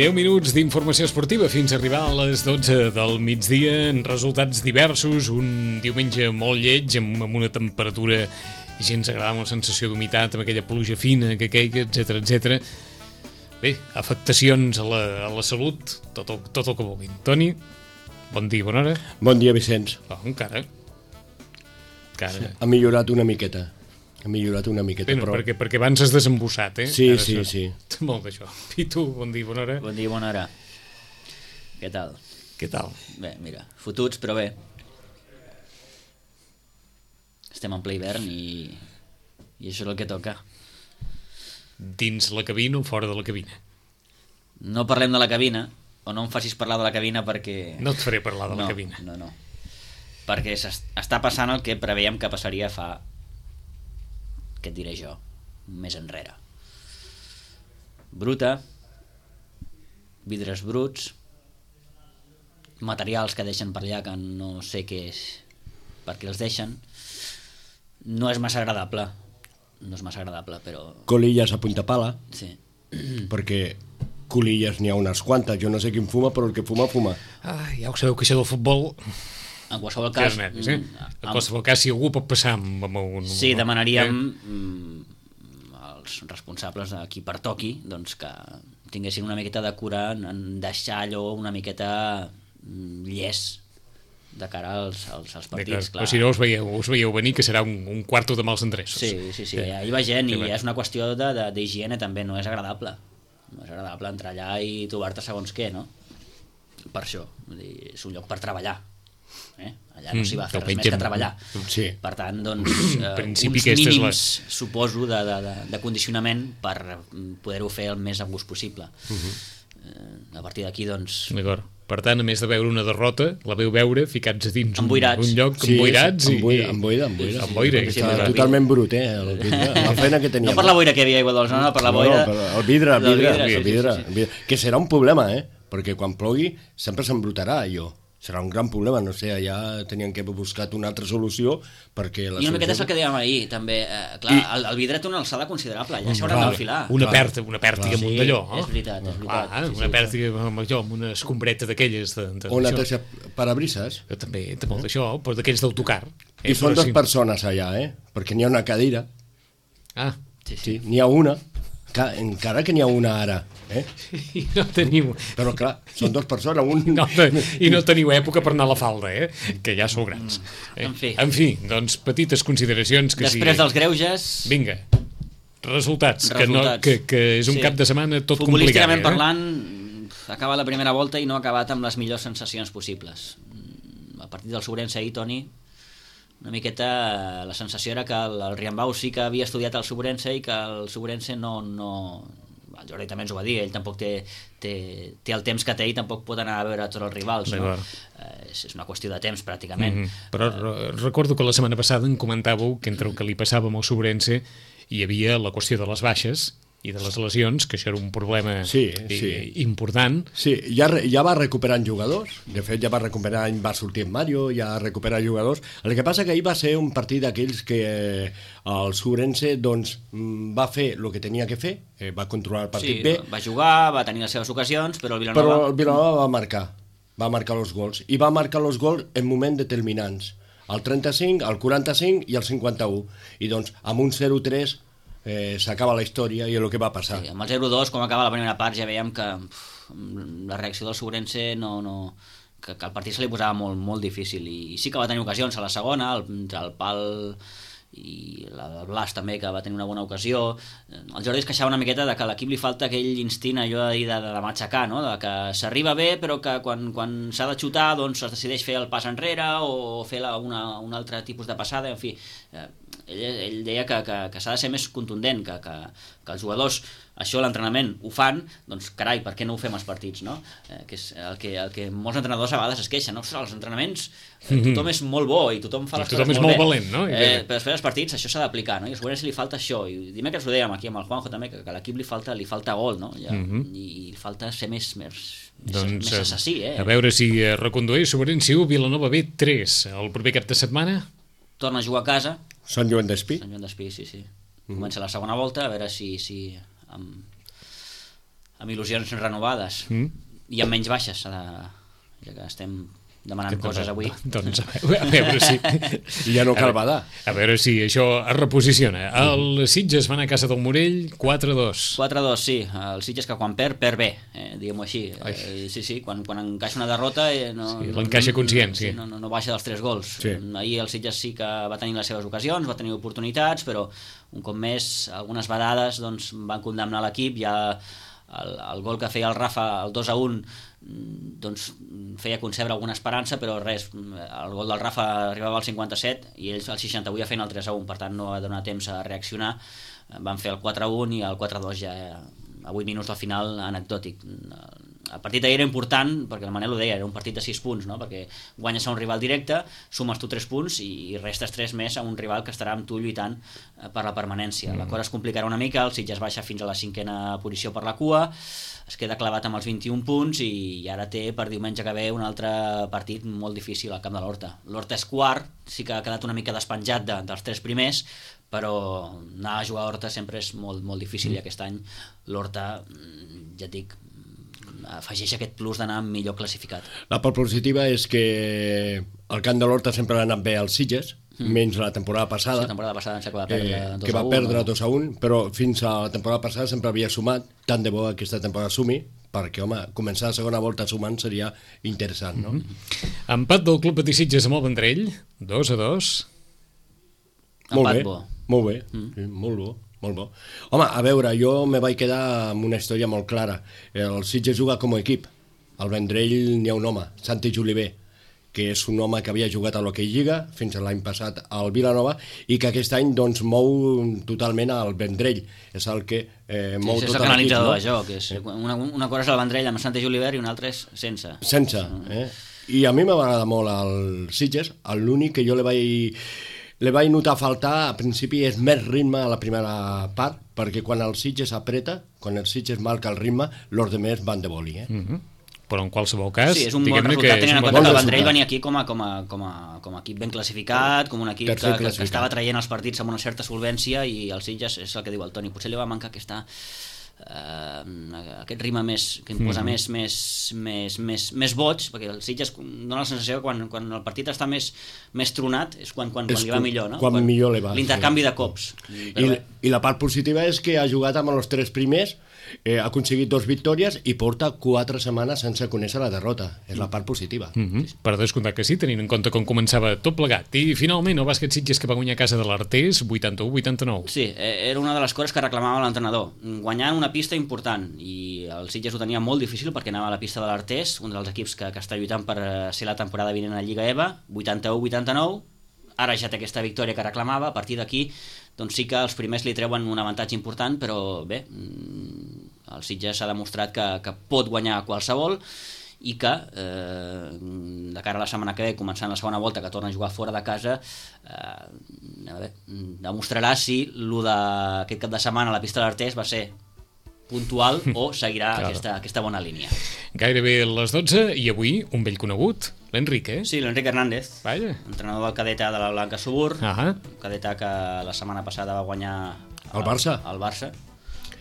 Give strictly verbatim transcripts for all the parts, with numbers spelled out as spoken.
deu minuts d'informació esportiva fins a arribar a les dotze del migdia, en resultats diversos, un diumenge molt lleig, amb, amb una temperatura gens agradable, una sensació d'humitat, amb aquella pluja fina que queiga, etcètera, etcètera. Bé, afectacions a la, a la salut, tot el, tot el que vulguin. Toni, bon dia, bona hora. Bon dia, Vicenç. Oh, encara. encara. Sí, ha millorat una miqueta. Ha millorat una miqueta, Bé, no, però... perquè, perquè abans has desembussat, eh? Sí, Ara sí, això. sí. Molt d'això. I tu, bon dia, bona hora. Bon dia, bona hora. Què tal? Què tal? Bé, mira, fotuts, però bé. Estem en ple hivern i, i això és el que toca. Dins la cabina o fora de la cabina? No parlem de la cabina, o no em facis parlar de la cabina perquè... No et faré parlar de no, la cabina. No, no, perquè està passant el que preveiem que passaria fa... què et diré jo, més enrere. Bruta, vidres bruts, materials que deixen per allà que no sé què és, per què els deixen. No és massa agradable, no és massa agradable, però... Colilles a punta pala, sí. perquè colilles n'hi ha unes quantes. Jo no sé quin fuma, però el que fuma, fuma. Ah, ja ho sabeu que això del futbol... En qualsevol cas... Nervis, eh? En qualsevol cas, si algú pot passar amb, amb un... Sí, demanaríem eh? als responsables a qui pertoqui doncs que tinguessin una miqueta de cura en deixar allò una miqueta llest de cara als, als, als partits. Clar. Però si no us veieu, us veieu venir que serà un, un quarto de mals endreços. Sí, sí, sí, ja hi va gent i és una qüestió d'higiene també, no és agradable. No és agradable entrar allà i trobar-te segons què, no? Per això, vull dir, és un lloc per treballar. Eh? Allà no s'hi va fer res més que treballar. Sí. Per tant, doncs, eh, principi uns mínims, la... suposo, de, de, de, de condicionament per poder-ho fer el més a gust possible. Uh-huh. eh, a partir d'aquí, doncs... D'acord. Per tant, a més de veure una derrota, la veu veure ficats a dins un, un lloc sí, emboirats sí, i... Emboira, emboira, emboira. Amb boira. Sí, sí, totalment brut, eh? El vidre, la feina que teníem. No per la boira que hi havia aigua dolç, no, no per la boira... No, no, el vidre, el vidre, vidre, el vidre, sí, sí, sí. el vidre, que serà un problema, eh? Perquè quan plogui sempre s'embrutarà allò. Serà un gran problema, no sé, allà tenien que haver buscat una altra solució perquè... La I una miqueta és solució... el que dèiem ahir, també. Eh, clar, I... el, el vidre té una alçada considerable, allà s'hauran d'enfilar. Una pèrtiga, una pèrtiga amunt d'allò. Sí, és veritat, és veritat. Ah, sí, una sí, pèrtiga amb allò, amb una escombreta d'aquelles... De, de, o una teixa parabrises. Que també té molt d'això, però d'aquells d'autocar. I són dues persones allà, eh? Perquè n'hi ha una cadira. Ah. Sí, sí, n'hi ha una. Encara que n'hi ha una ara, eh? I no teniu... Però clar, són dues persones, un... No, i no teniu època per anar a la falda, eh? Que ja sou grans. Eh? En fi. En fi, doncs petites consideracions que Després sí... dels greuges... Vinga, resultats, resultats. Que, no, que, que és un sí. cap de setmana tot complicat. Futbolísticament eh? parlant, acaba la primera volta i no ha acabat amb les millors sensacions possibles. A partir del Sobrense ahir, Toni, una miqueta la sensació era que el, el Riambau sí que havia estudiat el Sobrense i que el Sobrense no... no... el Jordi també ens ho va dir, ell tampoc té, té, té el temps que té i tampoc pot anar a veure tots els rivals, no? eh, és, és una qüestió de temps pràcticament. Mm-hmm. Però uh, recordo que la setmana passada en comentàveu que entre el que li passava amb el Sobrense hi havia la qüestió de les baixes i de les lesions, que això era un problema sí, i, sí. important. Sí, ja, ja va recuperant jugadors, de fet ja va recuperar, va sortir en Mario, ja ha recuperat jugadors. El que passa que ahir va ser un partit d'aquells que eh, el Sobrense doncs, va fer el que tenia que fer, eh, va controlar el partit sí, bé. Va jugar, va tenir les seves ocasions, però el Vilanova... Però el Vilanova va marcar, va marcar els gols, i va marcar els gols en moments determinants, al trenta-cinc, al quaranta-cinc i al cinquanta-u, i doncs amb un zero tres Eh, s'acaba la història i és el que va passar. Sí, amb el zero dos, com acaba la primera part, ja veiem que uf, la reacció del Sobrense no, no, que, que el partit se li posava molt, molt difícil i, i sí que va tenir ocasions a la segona, el, entre el pal i la del Blas també, que va tenir una bona ocasió. El Jordi es queixava una miqueta de que a l'equip li falta aquell instint allò de, de, de matxacar, no? De que s'arriba bé però que quan, quan s'ha de xutar doncs es decideix fer el pas enrere o fer la, una, un altre tipus de passada, en fi, eh, ell, ell deia que, que, que s'ha de ser més contundent, que, que, que els jugadors això a l'entrenament ho fan, doncs carai, per què no ho fem als partits, no? Eh, que és el que, el que molts entrenadors a vegades es queixen, no? Ostres, als entrenaments eh, tothom és molt bo i tothom fa les I tothom coses és molt molt bé, valent, no? Eh, però després als partits això s'ha d'aplicar, no? I a Sobrense li falta això, i dimecres ho dèiem aquí amb el Juanjo també, que, que a l'equip li falta, li falta gol, no? Ja, uh-huh. i, i falta ser més, més, doncs, més assassí, eh? A veure si eh, recondueix Sobrense u, Vilanova B tres, el proper cap de setmana. Torna a jugar a casa. Sant Joan d'Espí. Sant Joan d'Espí, sí, sí. Uh-huh. Comença la segona volta, a veure si, si amb, amb il·lusions renovades mm. i amb menys baixes, de, ja que estem demanant que coses avui. Doncs a veure, a veure si... ja no cal badar. A veure si això es reposiciona. El Sitges van a casa del Morell quatre a dos. quatre a dos, sí. El Sitges que quan perd, perd bé, eh, diguem-ho així. Eh, sí, sí, quan, quan encaixa una derrota... Eh, no, sí, l'encaixa conscient, sí. No, no, no baixa dels tres gols. Sí. Ahir el Sitges sí que va tenir les seves ocasions, va tenir oportunitats, però un cop més, algunes vedades doncs, van condemnar l'equip. Ja el, el gol que feia el Rafa, el dos a un, doncs feia concebre alguna esperança, però res, el gol del Rafa arribava al cinquanta-set i ells al seixanta-vuit ja feien el tres a un, per tant no va donar temps a reaccionar. Van fer el quatre a un i el quatre a dos ja a vuit minuts del final, anecdòtic. El partit d'ahir era important, perquè el Manel ho deia, era un partit de sis punts, no? Perquè guanyes a un rival directe, sumes tu tres punts i restes tres més a un rival que estarà amb tu lluitant per la permanència. La cosa es complicarà una mica, el Sitges baixa fins a la cinquena posició per la cua, es queda clavat amb els vint-i-un punts i ara té per diumenge que ve un altre partit molt difícil al camp de l'Horta. L'Horta és quart, sí que ha quedat una mica despenjat de, dels tres primers, però anar a jugar a Horta sempre és molt, molt difícil i aquest any l'Horta, ja et dic, afegeix aquest plus d'anar millor classificat. La part positiva és que el camp de l'Horta sempre ha anat bé als Sitges, mm. menys la temporada passada, sí, la temporada passada que va perdre eh, dos que va a un, perdre no? dos a un, però fins a la temporada passada sempre havia sumat, tant de bo aquesta temporada sumi, perquè, home, començar la segona volta sumant seria interessant, no? Mm-hmm. Empat del Club Patí Sitges amb el Vendrell, dos a dos. Molt Empat bé, bo. molt bé, Mm. sí, molt bo. Molt bo. Home, a veure, jo me vaig quedar amb una història molt clara. El Sitges juga com a equip. Al Vendrell n'hi ha un home, Santi Juliver, que és un home que havia jugat a l'Hockey Lliga fins a l'any passat al Vilanova i que aquest any doncs, mou totalment al Vendrell. És el que eh, mou sí, tot l'equip. És el canalitzador de joc. És una, una cosa és el Vendrell amb Santi Juliver i una altra és sense. Sense. Eh? I a mi m'agrada molt el Sitges. L'únic que jo li vaig... Le vaig notar faltar, a principi, és més ritme a la primera part, perquè quan el Sitges apreta, quan el Sitges marca el ritme, els demés van de boli. Eh? Mm-hmm. Però en qualsevol cas... Sí, és un bon resultat, tenint en compte que el Vendrell venia aquí com a, com, a, com, a, com a equip ben classificat, com un equip que, que, que estava traient els partits amb una certa solvència, i el Sitges és el que diu el Toni, potser li va mancar aquesta... Uh, aquest ritme més que imposa mm. més, més, més, més, més vots, perquè el Sitges dona la sensació que quan, quan el partit està més, més tronat és quan, quan, quan li va millor, no? Quan, quan millor li va. L'intercanvi sí. de cops. I, I la part positiva és que ha jugat amb els tres primers, eh, ha aconseguit dos victòries i porta quatre setmanes sense conèixer la derrota. És la part positiva. Mm-hmm. Per descomptar que sí, tenint en compte com començava tot plegat. I finalment el bàsquet Sitges que va guanyar a casa de l'Artés vuitanta-u a vuitanta-nou. Sí, era una de les coses que reclamava l'entrenador. Guanyant una pista important, i el Sitges ho tenia molt difícil perquè anava a la pista de l'Artés, un dels equips que, que està lluitant per ser la temporada vinent a la Lliga EVA, vuitanta-u a vuitanta-nou. Ara ja té aquesta victòria que reclamava. A partir d'aquí doncs sí que els primers li treuen un avantatge important, però bé, el Sitges s'ha demostrat que, que pot guanyar qualsevol i que eh, de cara a la setmana que ve, començant la segona volta, que torna a jugar fora de casa, eh, a veure, demostrarà si lo d'aquest cap de setmana a la pista de l'Artés va ser puntual o seguirà claro. aquesta, aquesta bona línia. Gairebé les dotze i avui un vell conegut, l'Enric, eh? Sí, l'Enric Hernández, Vaja. entrenador del cadeta de la Blanca Subur, uh-huh. cadeta que la setmana passada va guanyar el Barça, el Barça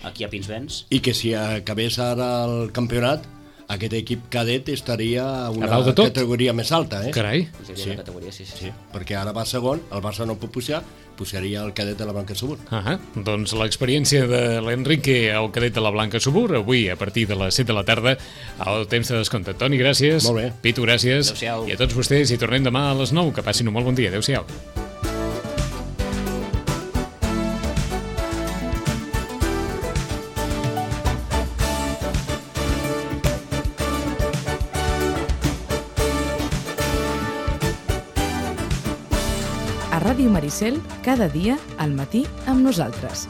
aquí a Pinsbens. I que si acabés ara el campionat, aquest equip cadet estaria a una a categoria més alta, eh? Carai. Sí. Categoria, sí, sí. sí, perquè ara va segon, el Barça no pot pujar, pujaria el cadet de la Blanca Subur. Uh-huh. Doncs l'experiència de l'Enrique al cadet de la Blanca Subur, avui a partir de les set de la tarda, al temps de descompte. Toni, gràcies. Molt bé. Pitu, gràcies. Adéu-siau. I a tots vostès hi tornem demà a les nou. Que passin un molt bon dia. Adéu-siau. A Ràdio Maricel, cada dia al matí amb nosaltres.